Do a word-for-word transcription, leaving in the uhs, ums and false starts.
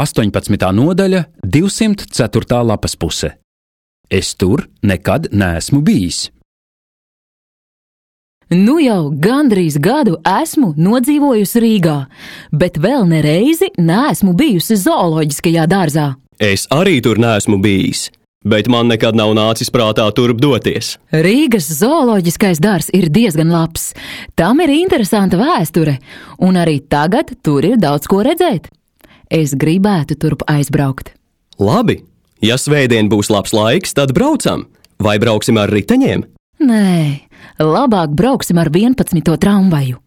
astoņpadsmitā nodaļa, divsimt ceturtā lapas puse. Es tur nekad neesmu bijis. Nu jau gandrīz gadu esmu nodzīvojusi Rīgā, bet vēl nereizi neesmu bijusi zooloģiskajā dārzā. Es arī tur neesmu bijis, bet man nekad nav nācis prātā turp doties. Rīgas zooloģiskais dārzs ir diezgan labs. Tam ir interesanta vēsture, un arī tagad tur ir daudz ko redzēt. Es gribētu turp aizbraukt. Labi, ja svētdien būs labs laiks, tad braucam. Vai brauksim ar riteņiem? Nē, labāk brauksim ar vienpadsmito tramvaju.